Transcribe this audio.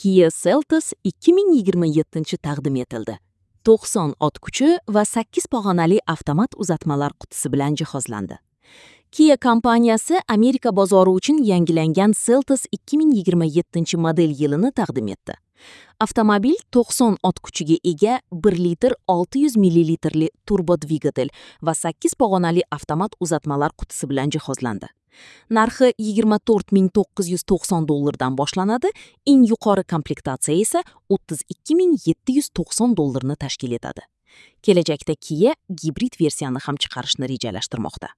Kia Seltos 2027 taqdim etildi. 90 ot kuchi va 8 pog'onali avtomat uzatmalar qutisi bilan jihozlandi. Kia kompaniyasi Amerika bozori uchun yangilangan Seltos 2027 model yilini taqdim etdi. Avtomobil 90 ot kuchiga ega 1 litr 600 millilitrli turbo dvigatel va 8 pog'onali avtomat uzatmalar qutisi bilan jihozlandi. Narxi 24 990 dollardan boshlanadi, eng yuqori komplektatsiya esa 32 790 dollarni tashkil etadi. Kelajakda Kia gibrid versiyani ham chiqarishni rejalashtirmoqda.